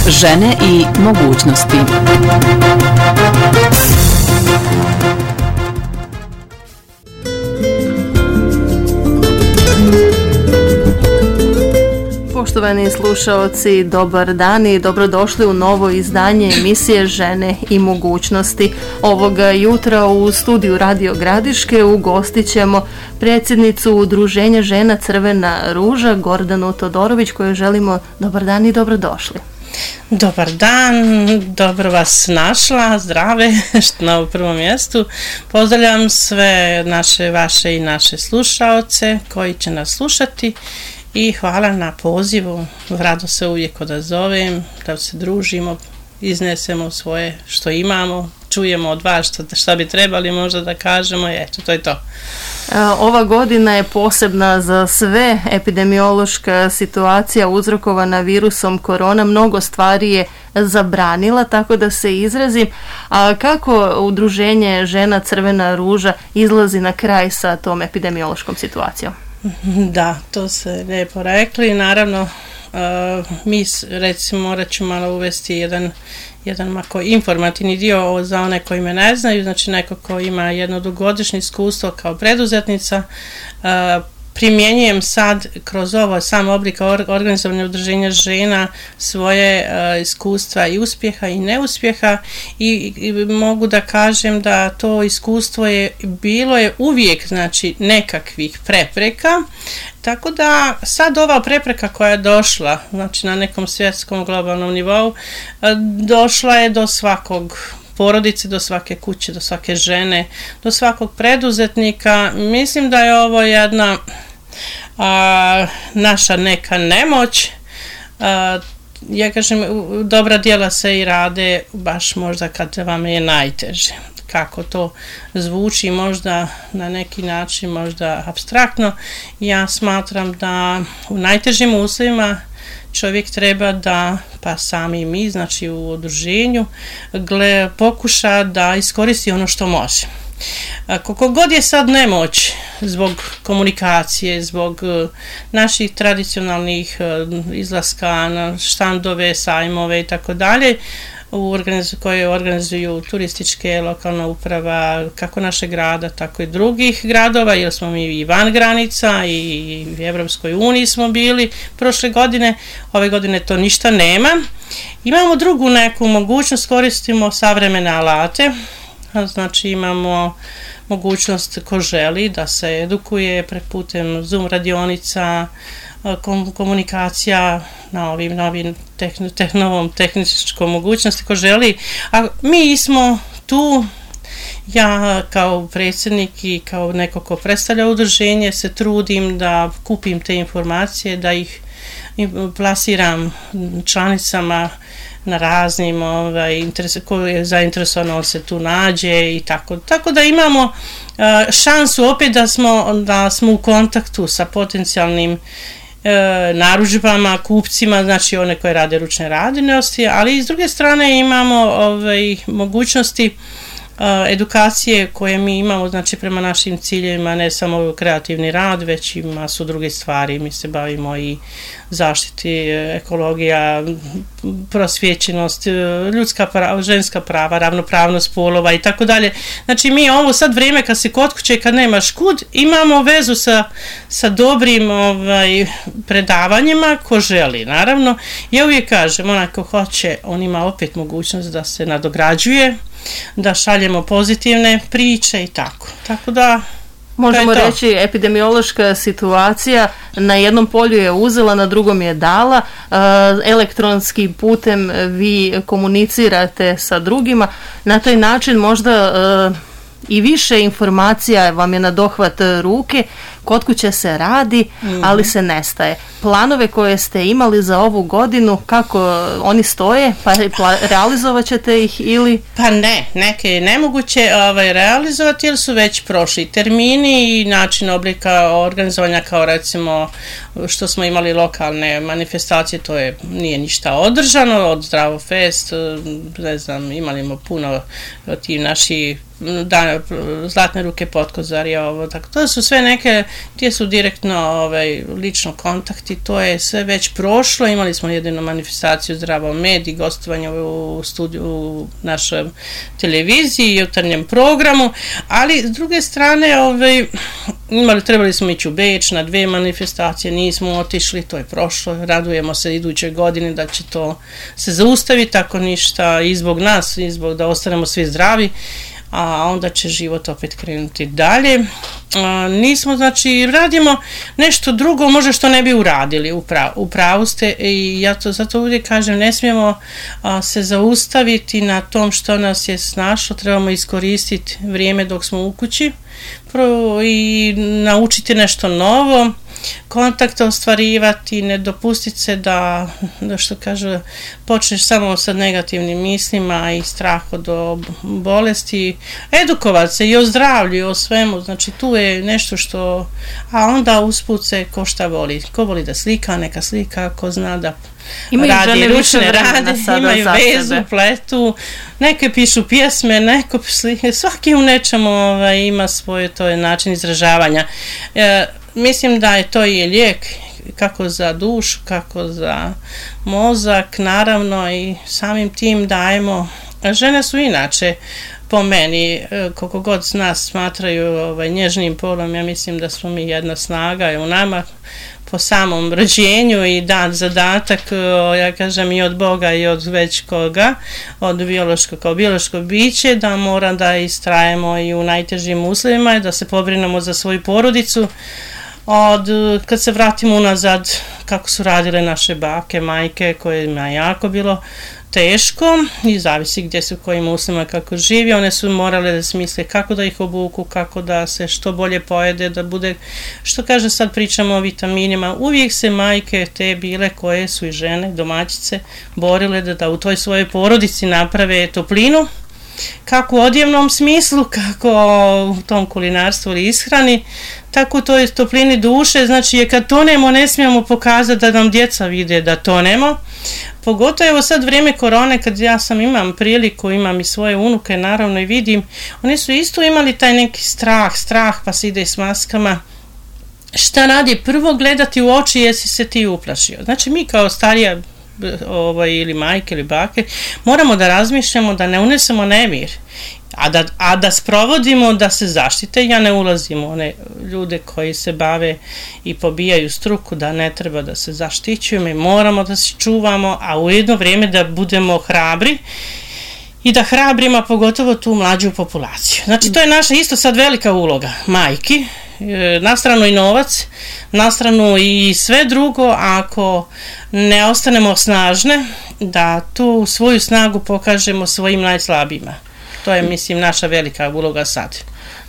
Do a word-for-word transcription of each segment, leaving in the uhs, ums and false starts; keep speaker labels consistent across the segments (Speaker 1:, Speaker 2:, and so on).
Speaker 1: Žene i mogućnosti.
Speaker 2: Poštovani slušaoci, dobar dan i dobrodošli u novo izdanje emisije Žene i mogućnosti. Ovoga jutra u studiju Radio Gradiške ugostit ćemo predsjednicu Udruženja žena Crvena ruža, Gordanu Todorović, koju želimo dobar dan i dobrodošli.
Speaker 3: Dobar dan, dobro vas našla, zdrave, što na prvom mjestu. Pozdravljam sve naše, vaše i naše slušaoce koji će nas slušati. I hvala na pozivu, rado se uvijek odazovem, da se družimo, iznesemo svoje što imamo, čujemo od vas što, što bi trebali možda da kažemo i eto, to je to.
Speaker 2: Ova godina je posebna za sve, epidemiološka situacija uzrokovana virusom korona, mnogo stvari je zabranila, tako da se izrazim. A kako Udruženje žena Crvena ruža izlazi na kraj sa tom epidemiološkom situacijom?
Speaker 3: Da, to se lijepo rekli. Naravno, uh, mi recimo morat ću malo uvesti jedan, jedan mako informativni dio za one koji me ne znaju, znači neko ko ima jedno dugogodišnje iskustvo kao preduzetnica. Uh, primjenjujem sad kroz ovo sam oblik organizovanja udruženja žena svoje uh, iskustva i uspjeha i neuspjeha i, i mogu da kažem da to iskustvo je bilo je uvijek znači nekakvih prepreka, tako da sad ova prepreka koja je došla znači na nekom svjetskom globalnom nivou uh, došla je do svakog porodice, do svake kuće, do svake žene, do svakog preduzetnika. Mislim da je ovo jedna a, naša neka nemoć. A, ja kažem, dobra djela se i rade baš možda kad vam je najteže. Kako to zvuči možda na neki način, možda apstraktno. Ja smatram da u najtežim uslovima čovjek treba da, pa sami mi, znači u udruženju, gle, pokuša da iskoristi ono što može. Koliko god je sad nemoć zbog komunikacije, zbog naših tradicionalnih izlaska na štandove, sajmove i tako dalje, koje organizuju turističke, lokalna uprava, kako našeg grada, tako i drugih gradova, jer smo mi i van granica i u Evropskoj uniji smo bili prošle godine, ove godine to ništa nema. Imamo drugu neku mogućnost, koristimo savremene alate, znači imamo mogućnost ko želi da se edukuje putem Zoom radionica, komunikacija na ovim novim tehn, tehn, novom tehničkom mogućnosti ko želi, a mi smo tu, ja kao predsjednik i kao neko ko predstavlja udruženje se trudim da kupim te informacije, da ih plasiram članicama na raznim ovaj, interes, ko je zainteresovan se tu nađe i tako. Tako da imamo uh, šansu opet da smo, da smo u kontaktu sa potencijalnim E, narudžbama, kupcima, znači one koje rade ručne radinosti, ali s druge strane imamo ovaj, mogućnosti e, edukacije koje mi imamo, znači prema našim ciljevima, ne samo kreativni rad, već i masu druge stvari. Mi se bavimo i zaštiti, ekologija, prosvjećenost, ljudska prava, ženska prava, ravnopravnost polova i tako dalje. Znači mi ovo sad vrijeme kad si kod kuće, kad nemaš kud, imamo vezu sa, sa dobrim ovaj, predavanjima ko želi. Naravno, ja uvijek kažem, onaj ko hoće, on ima opet mogućnost da se nadograđuje, da šaljemo pozitivne priče i tako. Tako da
Speaker 2: možemo reći, epidemiološka situacija na jednom polju je uzela, na drugom je dala, elektronskim putem vi komunicirate sa drugima, na taj način možda i više informacija vam je na dohvat ruke, kod kuće se radi, mm-hmm. ali se nestaje. Planove koje ste imali za ovu godinu, kako oni stoje, pa realizovat ćete ih ili?
Speaker 3: Pa ne, neke je nemoguće ovaj, realizovati jer su već prošli termini i način oblika organizovanja kao recimo što smo imali lokalne manifestacije, to je nije ništa održano, od Zdravo Fest, ne znam, imali smo puno ti naši da, Zlatne ruke Potkozarja, ovo, tako, to su sve neke gdje su direktno ovaj, lično kontakti, to je sve već prošlo, imali smo jedinu manifestaciju Zdravo med i gostovanje u studiju u našoj televiziji i jutarnjem programu, ali s druge strane ovaj, imali, trebali smo ići u Beč na dve manifestacije, nismo otišli, to je prošlo, radujemo se iduće godine da će to se zaustaviti, ako ništa i zbog nas, i zbog da ostanemo svi zdravi, a onda će život opet krenuti dalje. A, nismo, znači, radimo nešto drugo, možda što ne bi uradili, u pravu ste, i ja to zato uvijek kažem, ne smijemo a, se zaustaviti na tom što nas je snašlo, trebamo iskoristiti vrijeme dok smo u kući i naučiti nešto novo, kontakte ostvarivati, ne dopustiti se da, da što kaže, počneš samo sa negativnim mislima i strah od bolesti, edukovati se i o zdravlju i o svemu, znači tu je nešto što, a onda usput se ko šta voli, ko voli da slika, neka slika, ko zna da imaju radi ručne rade, imaju vezu, sebe. Pletu, neke pišu pjesme, neko slike, svaki u nečemu ovaj, ima svoj to je način izražavanja. E, mislim da je to i lijek kako za dušu, kako za mozak, naravno, i samim tim dajemo, žene su inače po meni, koliko god nas smatraju ovaj, nježnim polom, ja mislim da smo mi jedna snaga i u nama po samom rođenju i dan zadatak, ja kažem, i od Boga i od već koga, od biološkog kao biološko biće, da mora da istrajemo i u najtežim uslovima i da se pobrinemo za svoju porodicu. Od, kad se vratimo unazad, kako su radile naše bake, majke, kojima je jako bilo teško i zavisi gdje su, kojim uslovima kako živi, one su morale da smisle kako da ih obuku, kako da se što bolje pojede, da bude, što kaže, sad pričamo o vitaminima, uvijek se majke te bile koje su i žene, domaćice, borile da, da u toj svojoj porodici naprave toplinu, kako u odjevnom smislu, kako u tom kulinarstvu ili ishrani, tako u toj toplini duše, znači je kad tonemo ne smijemo pokazati da nam djeca vide da tonemo, pogotovo evo sad vrijeme korone kad ja sam imam priliku, imam i svoje unuke naravno i vidim, oni su isto imali taj neki strah, strah pa se ide s maskama. Šta radi? Prvo gledati u oči jesi se ti uplašio. Znači mi kao starija ovaj, ili majke ili bake moramo da razmišljamo da ne unesemo nemir, a da, a da sprovodimo da se zaštite. Ja ne ulazim u one ljude koji se bave i pobijaju struku da ne treba da se zaštićuju, mi moramo da se čuvamo, a u jedno vrijeme da budemo hrabri i da hrabrimo pogotovo tu mlađu populaciju. Znači to je naša isto sad velika uloga majki, na stranu i novac, na stranu i sve drugo, ako ne ostanemo snažne, da tu svoju snagu pokažemo svojim najslabijima. To je, mislim, naša velika uloga sad.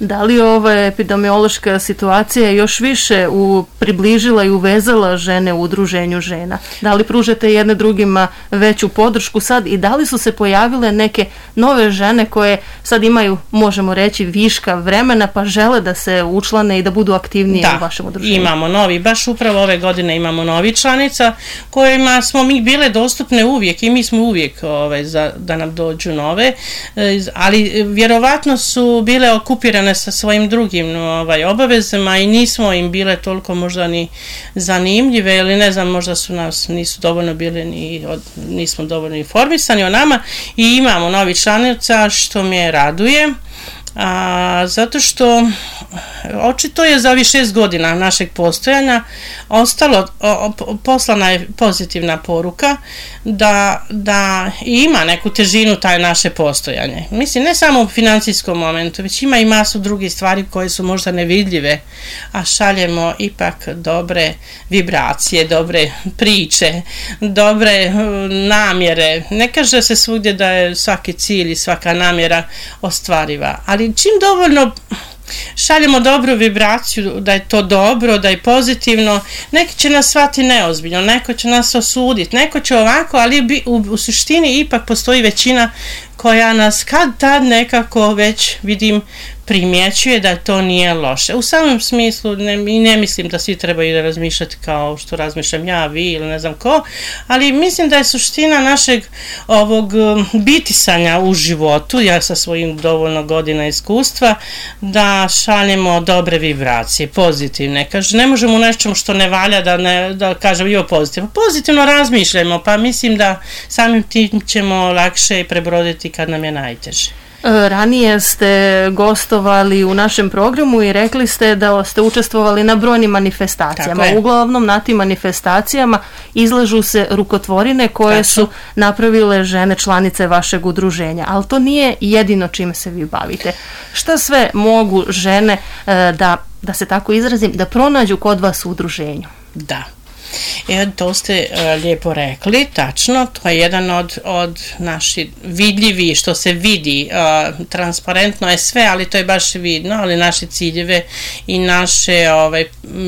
Speaker 2: Da li ova epidemiološka situacija još više u, približila i uvezala žene u udruženju žena? Da li pružate jedne drugima veću podršku sad i da li su se pojavile neke nove žene koje sad imaju, možemo reći, viška vremena pa žele da se učlane i da budu aktivnije da, u vašem udruženju? Da,
Speaker 3: imamo novi, baš upravo ove godine imamo novi članica kojima smo mi bile dostupne uvijek i mi smo uvijek ovaj, za, da nam dođu nove, ali vjerovatno su bile okupirane sa svojim drugim ovaj, obavezama i nismo im bile toliko možda ni zanimljive ili ne znam, možda su nas nisu dovoljno bile ni od, nismo dovoljno informisani o nama i imamo novi članica što me raduje. A, zato što očito je za ovih šest godina našeg postojanja ostalo, o, poslana je pozitivna poruka da, da ima neku težinu taj naše postojanje. Mislim, ne samo u financijskom momentu, već ima i masu drugih stvari koje su možda nevidljive, a šaljemo ipak dobre vibracije, dobre priče, dobre namjere. Ne kaže se svugdje da je svaki cilj i svaka namjera ostvariva, ali čim dovoljno šaljemo dobru vibraciju, da je to dobro, da je pozitivno, neki će nas shvati neozbiljno, neko će nas osuditi, neko će ovako, ali u, u suštini ipak postoji većina koja nas kad tad nekako već vidim primjećuje da to nije loše. U samom smislu ne, i ne mislim da svi trebaju da razmišljati kao što razmišljam ja, vi ili ne znam ko, ali mislim da je suština našeg ovog bitisanja u životu, ja sa svojim dovoljno godina iskustva, da šaljemo dobre vibracije, pozitivne. Kaže, ne možemo u nečemu što ne valja da, ne, da kažem jo pozitivno. Pozitivno razmišljamo, pa mislim da samim tim ćemo lakše prebroditi kad nam je najteže.
Speaker 2: Ranije ste gostovali u našem programu i rekli ste da ste učestvovali na brojnim manifestacijama. Uglavnom na tim manifestacijama izlažu se rukotvorine koje Tačno. su napravile žene članice vašeg udruženja, ali to nije jedino čime se vi bavite. Šta sve mogu žene da, da se tako izrazim, da pronađu kod vas u udruženju?
Speaker 3: Da. E, to ste uh, lijepo rekli, tačno, to je jedan od, od naših vidljivi, što se vidi, uh, transparentno je sve, ali to je baš vidno, ali naše ciljeve i naše ovaj,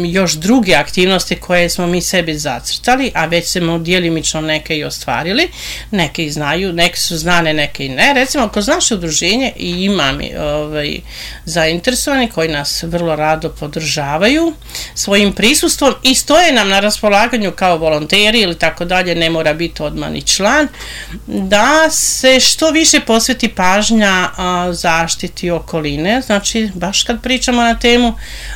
Speaker 3: još druge aktivnosti koje smo mi sebi zacrtali, a već smo djelimično neke i ostvarili, neke i znaju, neke su znane, neke i ne. Recimo, kroz naše udruženje i imam ovaj, zainteresovani koji nas vrlo rado podržavaju svojim prisustvom i stoje nam na raspolaganju kao volonteri ili tako dalje, ne mora biti odmah ni član, da se što više posveti pažnja a, zaštiti okoline, znači baš kad pričamo na temu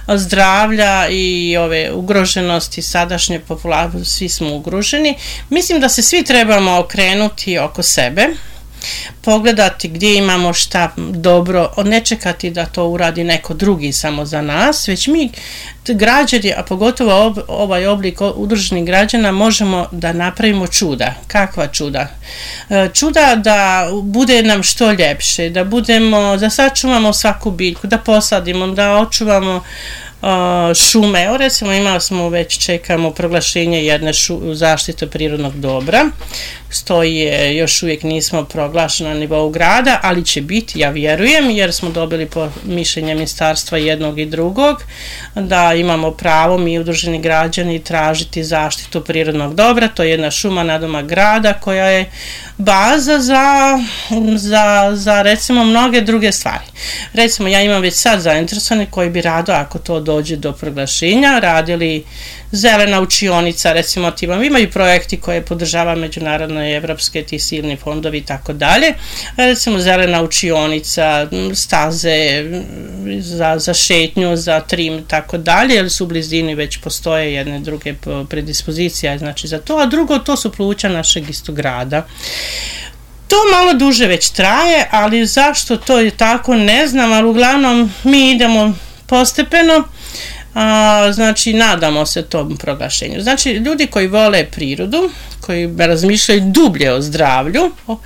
Speaker 3: zdravlja i ove ugroženosti sadašnje populacije, svi smo ugroženi, mislim da se svi trebamo okrenuti oko sebe, pogledati gdje imamo šta dobro, ne čekati da to uradi neko drugi samo za nas, već mi građani, a pogotovo ob, ovaj oblik udruženih građana, možemo da napravimo čuda. Kakva čuda? Čuda da bude nam što ljepše, da budemo, da sačuvamo svaku biljku, da posadimo, da očuvamo šume. Evo recimo imali smo, već čekamo proglašenje jedne šu, zaštite prirodnog dobra, stoji je, još uvijek nismo proglašeni na nivou grada, ali će biti, ja vjerujem, jer smo dobili po mišljenje ministarstva jednog i drugog, da imamo pravo mi udruženi građani tražiti zaštitu prirodnog dobra. To je jedna šuma nadomak grada koja je baza za, za, za recimo mnoge druge stvari. Recimo ja imam već sad zainteresovane koji bi rado, ako to dođe do proglašenja, radili zelena učionica, recimo timom, imaju projekti koje podržava međunarodne i evropske ti silni fondovi i tako dalje, recimo zelena učionica, staze za, za šetnju, za trim i tako dalje, jer su u blizini već postoje jedne druge predispozicije, znači za to, a drugo to su pluća našeg istog grada. To malo duže već traje, ali zašto to je tako ne znam, ali uglavnom mi idemo postepeno. A, znači nadamo se tom proglašenju. Znači ljudi koji vole prirodu, koji razmišljaju dublje o zdravlju o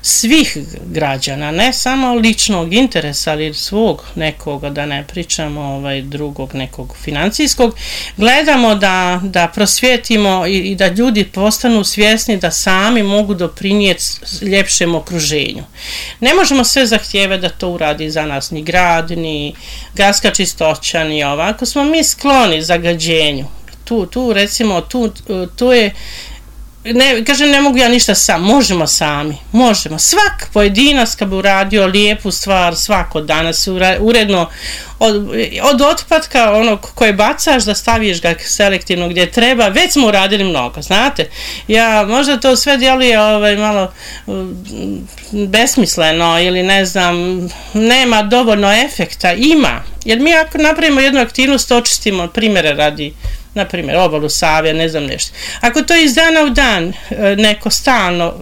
Speaker 3: svih građana, ne samo ličnog interesa, ali svog nekoga, da ne pričamo ovaj drugog nekog financijskog, gledamo da, da prosvjetimo i, i da ljudi postanu svjesni da sami mogu doprinijeti ljepšem okruženju. Ne možemo sve zahtijevati da to uradi za nas ni grad, ni gradska čistoća, ni ovako. Smo mi skloni zagađenju. Tu, tu recimo, tu, tu je Ne, kažem, ne mogu ja ništa sam, možemo sami, možemo. Svak pojedinac kad bi uradio lijepu stvar svako danas uredno od, od otpadka onog koje bacaš da staviš ga selektivno gdje treba, već smo uradili mnogo, znate. Ja, možda to sve djeluje ovaj, malo besmisleno ili ne znam, nema dovoljno efekta, ima. Jer mi ako napravimo jednu aktivnost, očistimo, primjere radi, na primjer, obalu Save, ne znam nešto. Ako to iz dana u dan neko stalno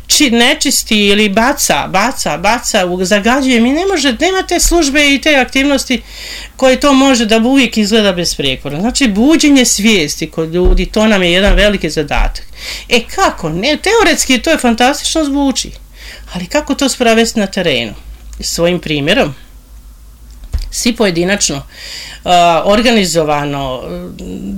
Speaker 3: či, nečisti ili baca, baca, baca, zagađuje, mi ne može, nema te službe i te aktivnosti koje to može da uvijek izgleda besprijekorno. Znači, buđenje svijesti kod ljudi, to nam je jedan veliki zadatak. E kako? Ne, teoretski to je fantastično zvuči, ali kako to sprovesti na terenu? Svojim primjerom. svi pojedinačno, uh, organizovano,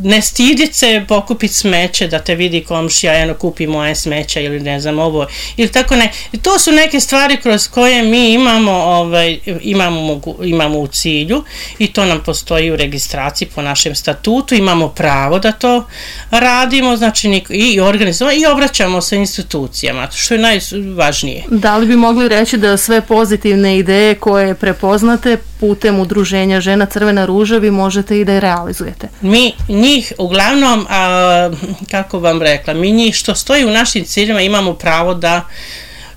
Speaker 3: ne stiditi se pokupiti smeće da te vidi komšija, eno kupi moje smeća ili ne znam ovo, ili tako ne. To su neke stvari kroz koje mi imamo, ovaj, imamo, imamo u cilju i to nam postoji u registraciji po našem statutu, imamo pravo da to radimo, znači i organizujemo i obraćamo se institucijama, što je najvažnije.
Speaker 2: Da li bi mogli reći da sve pozitivne ideje koje prepoznate putem udruženja Žena Crvena ruža vi možete i da je realizujete?
Speaker 3: Mi njih uglavnom, a, kako vam rekla, mi njih što stoji u našim ciljima imamo pravo da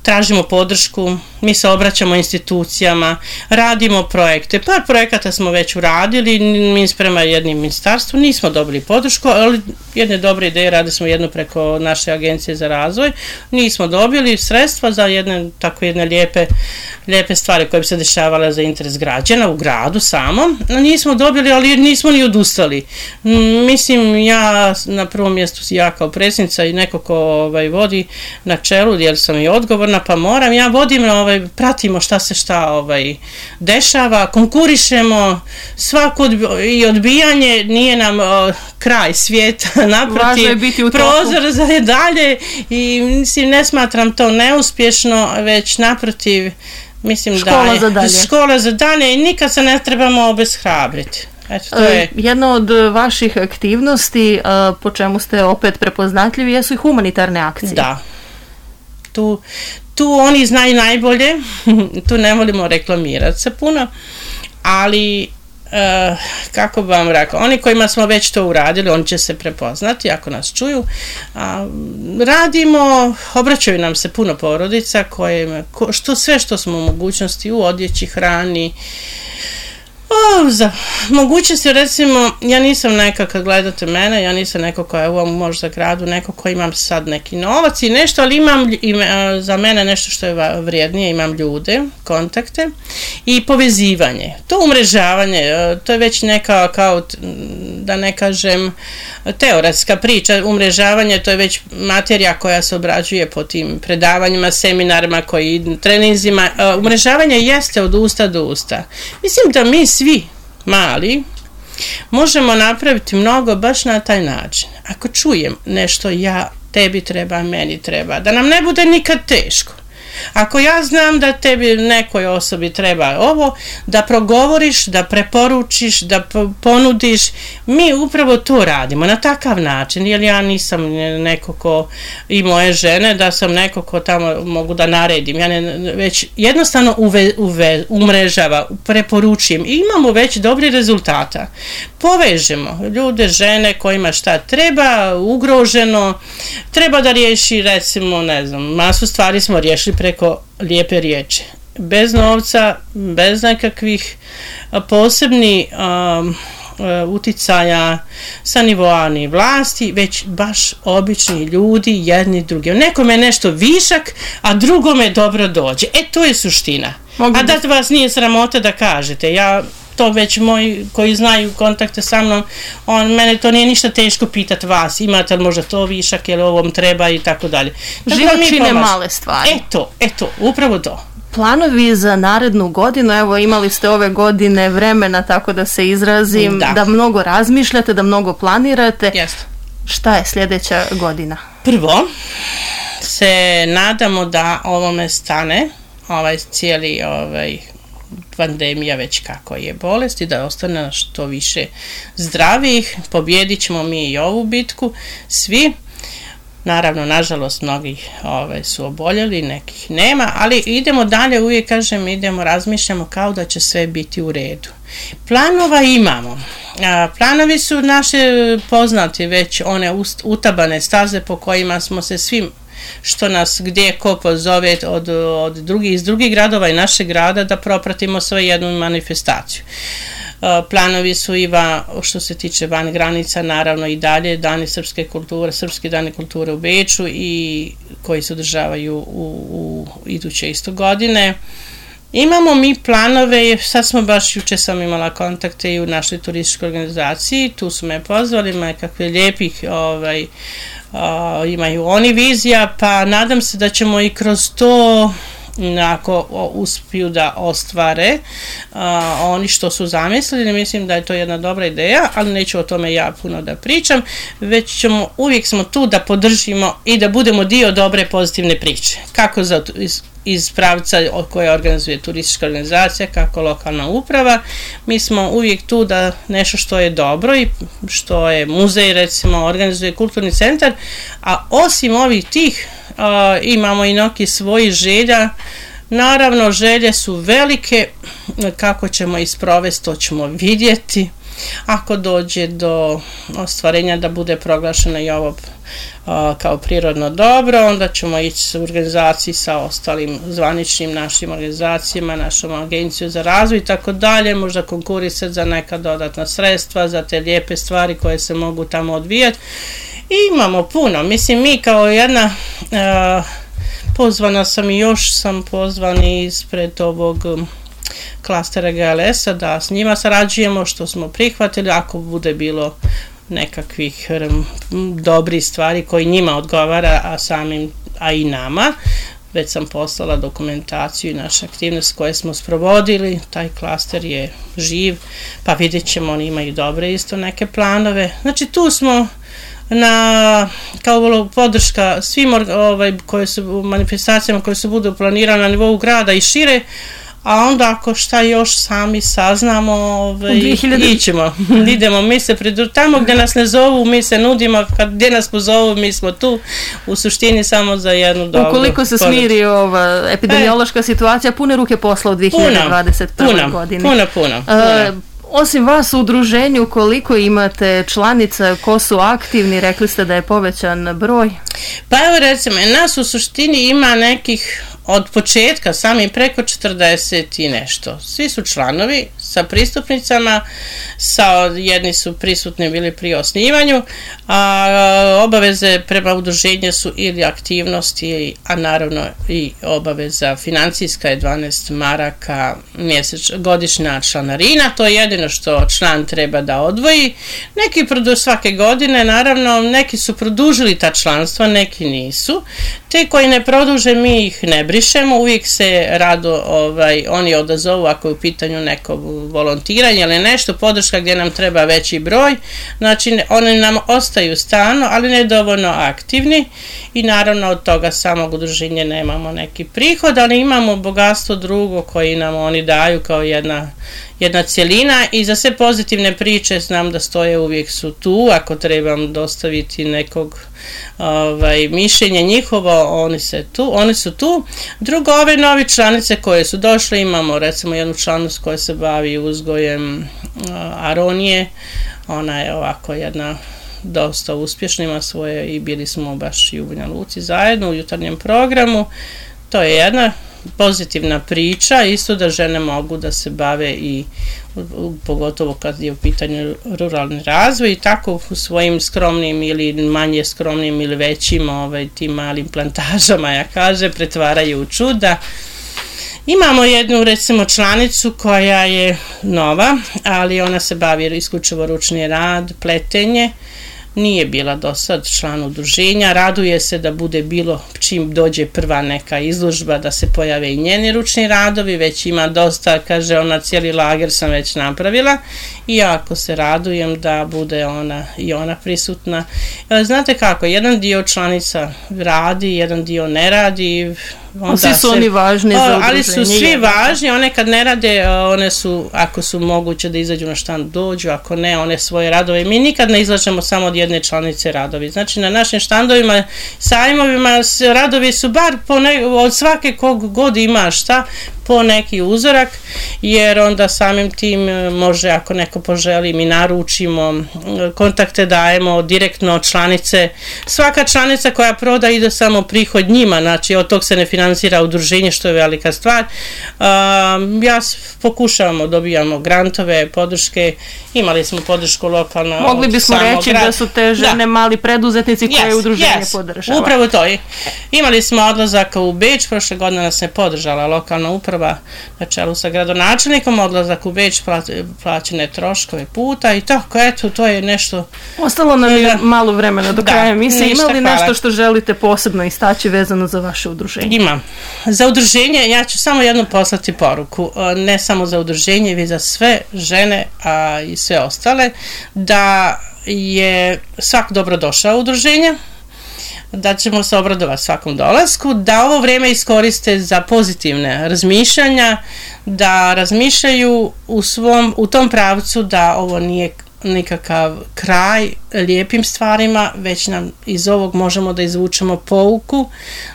Speaker 3: tražimo podršku, mi se obraćamo institucijama, radimo projekte. Par projekata smo već uradili, mi prema jednim ministarstvu nismo dobili podršku, ali jedne dobre ideje, radili smo jednu preko naše agencije za razvoj, nismo dobili sredstva za jedne tako jedne lijepe, lijepe stvari koje bi se dešavale za interes građana u gradu samo. Nismo dobili, ali nismo ni odustali. Mislim, ja na prvom mjestu ja kao predsjednica i neko ko ovaj, vodi na čelu, jer sam i odgovorna, pa moram, ja vodim, ovaj, pratimo šta se šta ovaj, dešava, konkurišemo, svako odbi- i odbijanje nije nam o, kraj svijeta, naprotiv, prozor za dalje i mislim, ne smatram to neuspješno, već naprotiv, mislim
Speaker 2: škola
Speaker 3: da je
Speaker 2: za dalje.
Speaker 3: škola za dalje i nikad se ne trebamo obeshrabriti. Eto, to je.
Speaker 2: Jedna od vaših aktivnosti, po čemu ste opet prepoznatljivi, jesu i humanitarne akcije.
Speaker 3: Da. Tu, tu oni znaju najbolje, tu ne volimo reklamirati se puno, ali uh, kako bi vam rekao, oni kojima smo već to uradili, oni će se prepoznati ako nas čuju. Uh, radimo, obraćaju nam se puno porodica koje, ko, što sve što smo u mogućnosti u odjeći, hrani. O, za mogućnosti, recimo, ja nisam neka, kad gledate mene, ja nisam neko koja je u ovom možda gradu, neko ko imam sad neki novac i nešto, ali imam ima, za mene nešto što je vrijednije, imam ljude, kontakte i povezivanje. To umrežavanje, to je već neka, kao, da ne kažem, teoretska priča, umrežavanje, to je već materija koja se obrađuje po tim predavanjima, seminarima, koji, treninzima. Umrežavanje jeste od usta do usta. Mislim da mi svi mali možemo napraviti mnogo baš na taj način. Ako čujem nešto, ja, tebi treba, meni treba, da nam ne bude nikad teško. Ako ja znam da tebi nekoj osobi treba ovo, da progovoriš, da preporučiš, da ponudiš, mi upravo to radimo na takav način, jer ja nisam neko ko i moje žene, da sam neko ko tamo mogu da naredim, ja ne, već jednostavno uve, uve, umrežava, preporučujem i imamo već dobri rezultata. Povežemo ljude, žene kojima šta treba, ugroženo, treba da riješi, recimo, ne znam, masu stvari smo riješili preko lijepe riječi. Bez novca, bez nekakvih posebnih um, uticaja sa nivoa ni vlasti, već baš obični ljudi, jedni drugi. Nekome je nešto višak, a drugome dobro dođe. E, to je suština. Mogu a da vas nije sramota da kažete. Ja to već moji koji znaju kontakte sa mnom, on, mene to nije ništa teško pitati vas, imate li možda to višak, ili ovom treba i tako dalje.
Speaker 2: Život čine male stvari.
Speaker 3: Eto, eto, upravo to.
Speaker 2: Planovi za narednu godinu, evo imali ste ove godine vremena, tako da se izrazim, da, da mnogo razmišljate, da mnogo planirate.
Speaker 3: Jeste.
Speaker 2: Šta je sljedeća godina?
Speaker 3: Prvo, se nadamo da ovome stane, ovaj cijeli ovaj pandemija već kako je bolest i da ostane što više zdravih, pobjedit ćemo mi i ovu bitku, svi. Naravno, nažalost, mnogi ove, su oboljeli, nekih nema, ali idemo dalje, uvijek kažem, idemo, razmišljamo kao da će sve biti u redu. Planova imamo. A, planovi su naše poznati, već one utabane staze po kojima smo se svim što nas gdje ko pozove od, od drugih, iz drugih gradova i našeg grada da propratimo svoju jednu manifestaciju. Planovi su i va, što se tiče van granica, naravno i dalje dani srpske kulture, srpski dani kulture u Beču i koji se održavaju u, u iduće isto godine. Imamo mi planove, sad smo baš, juče sam imala kontakte i u našoj turističkoj organizaciji, tu su me pozvali, ima kakve lijepih ovaj, Uh, imaju oni vizija, pa nadam se da ćemo i kroz to ako uspiju da ostvare a, oni što su zamislili. Mislim da je to jedna dobra ideja, ali neću o tome ja puno da pričam, već ćemo, uvijek smo tu da podržimo i da budemo dio dobre pozitivne priče. Kako za, iz, iz pravca koje organizuje turistička organizacija, kako lokalna uprava. Mi smo uvijek tu da nešto što je dobro i što je muzej, recimo, organizuje kulturni centar, a osim ovih tih Uh, imamo i neki svoji želja. Naravno, želje su velike, kako ćemo ih sprovesti, to ćemo vidjeti. Ako dođe do ostvarenja da bude proglašeno i ovo uh, kao prirodno dobro, onda ćemo ići u organizaciji sa ostalim zvaničnim našim organizacijama, našom agenciju za razvoj i tako dalje, možda konkurisati za neka dodatna sredstva, za te lijepe stvari koje se mogu tamo odvijati. I imamo puno, mislim, mi kao jedna, uh, pozvana sam i još sam pozvani ispred ovog um, klastera G L S-a da s njima sarađujemo, što smo prihvatili, ako bude bilo nekakvih um, dobrih stvari koji njima odgovara, a samim, a i nama. Već sam poslala dokumentaciju i naše aktivnosti koje smo sprovodili, taj klaster je živ, pa vidjet ćemo, oni imaju dobre isto neke planove. Znači tu smo na, kao podrška svim ovaj, koje su, manifestacijama koje se budu planirane na nivou grada i šire, a onda ako šta još sami saznamo, ovaj, ićemo, idemo, mi se pridru, tamo gdje nas ne zovu, mi se nudimo, kad gdje nas pozovu, mi smo tu, u suštini samo za jednu dobru.
Speaker 2: Ukoliko se smiri ova epidemiološka e, situacija, pune ruke posla u dvije hiljade dvadeset prvoj
Speaker 3: puno,
Speaker 2: godini.
Speaker 3: Puno, puno, puno.
Speaker 2: Uh, Osim vas u udruženju, koliko imate članica, ko su aktivni, rekli ste da je povećan broj?
Speaker 3: Pa evo recimo, nas u suštini ima nekih od početka sami preko četrdeset i nešto. Svi su članovi sa pristupnicama, sa, jedni su prisutni bili pri osnivanju, a obaveze prema udruženju su ili aktivnosti, a naravno i obaveza financijska je dvanaest maraka mjesec, godišnja članarina, to je jedino što član treba da odvoji. Neki produ, svake godine, naravno, neki su produžili ta članstva, neki nisu. Te koji ne produže, mi ih ne brišemo, uvijek se rado ovaj, oni odazovu ako je u pitanju neko volontiranje ili nešto, podrška gdje nam treba veći broj, znači oni nam ostaju stalno, ali ne dovoljno aktivni i naravno od toga samog udruženja nemamo neki prihod, ali imamo bogatstvo drugo koji nam oni daju kao jedna jedna cjelina i za sve pozitivne priče znam da stoje, uvijek su tu, ako trebam dostaviti nekog ovaj, mišljenja njihovo, oni, se tu, oni su tu. Drugo, ove novi članice koje su došle, imamo recimo jednu članicu koja se bavi uzgojem uh, aronije, ona je ovako jedna dosta uspješna, ima svoje i bili smo baš i u Banja Luci zajedno u jutarnjem programu, to je jedna pozitivna priča, isto da žene mogu da se bave i pogotovo kad je u pitanju ruralni razvoj i tako u svojim skromnim ili manje skromnim ili većim ovaj, tim malim plantažama, ja kaže, pretvaraju u čuda. Imamo jednu recimo članicu koja je nova, ali ona se bavi isključivo ručni rad, pletenje. Nije bila do sad član udruženja, raduje se da bude bilo čim dođe prva neka izložba da se pojave i njeni ručni radovi, već ima dosta, kaže ona, cijeli lager sam već napravila i jako se radujem da bude ona i ona prisutna. Znate kako, jedan dio članica radi, jedan dio ne radi,
Speaker 2: onda svi su se, oni važni o, za udruženje.
Speaker 3: Ali su svi važni, one kad ne rade, one su, ako su moguće da izađu na štand, dođu, ako ne, one svoje radove. Mi nikad ne izlažemo samo od jedne članice radovi. Znači na našim štandovima, sajmovima, radovi su bar po ne, od svake kog god ima šta, po neki uzorak, jer onda samim tim može, ako neko poželi, mi naručimo, kontakte dajemo direktno od članice. Svaka članica koja proda ide samo prihod njima, znači od tog se ne financira udruženje, što je velika stvar. Um, ja pokušavamo, dobijamo grantove, podrške, imali smo podršku lokalno.
Speaker 2: Mogli bismo reći grad. Da su te žene da. Mali preduzetnici koje yes, udruženje yes. podržava.
Speaker 3: Upravo to je. Imali smo odlazak u Beč, prošle godine nas je podržala lokalna uprava uprava na čelu sa gradonačelnikom, odlazak u Beč, plaćene troškove puta i tako, eto, to je nešto...
Speaker 2: Ostalo nam je malo vremena do kraja emisije. Ima li
Speaker 3: hvala.
Speaker 2: Nešto što želite posebno istaći vezano za vaše udruženje?
Speaker 3: Imam. Za udruženje, ja ću samo jednu poslati poruku, ne samo za udruženje, već za sve žene a i sve ostale, da je svak dobrodošao u udruženje, da ćemo se obradovati svakom dolasku, da ovo vrijeme iskoriste za pozitivne razmišljanja, da razmišljaju u svom, u tom pravcu da ovo nije nikakav kraj lijepim stvarima, već nam iz ovog možemo da izvučemo pouku,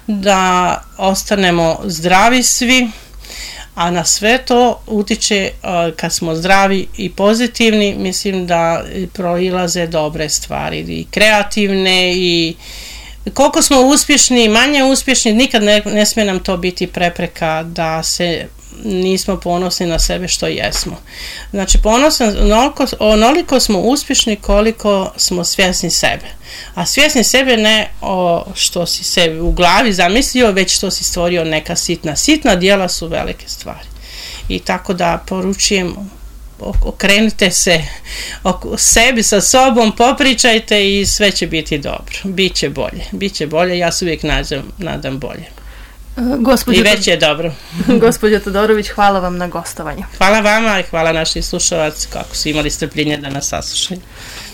Speaker 3: da ostanemo zdravi svi, a na sve to utiče kad smo zdravi i pozitivni, mislim da proilaze dobre stvari i kreativne i koliko smo uspješni, manje uspješni, nikad ne, ne smije nam to biti prepreka da se nismo ponosni na sebe što jesmo. Znači, ponosni, onoliko, onoliko smo uspješni koliko smo svjesni sebe. A svjesni sebe ne o što si sebi u glavi zamislio, već što si stvorio neka sitna. Sitna djela su velike stvari. I tako da poručujem, okrenite se oko sebi sa sobom, popričajte i sve će biti dobro. Biće bolje. Biće bolje, ja se uvijek nadam, nadam bolje.
Speaker 2: Gospođo,
Speaker 3: I već je dobro.
Speaker 2: Gospođo Todorović, hvala vam na gostovanju.
Speaker 3: Hvala vama i hvala naših slušalaca kako su imali strpljenje da nas saslušaju.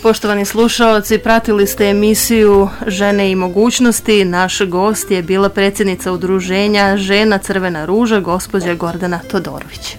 Speaker 2: Poštovani slušaoci, pratili ste emisiju Žene i mogućnosti. Naš gost je bila predsjednica udruženja Žena Crvena ruža, gospođa Gordana Todorović.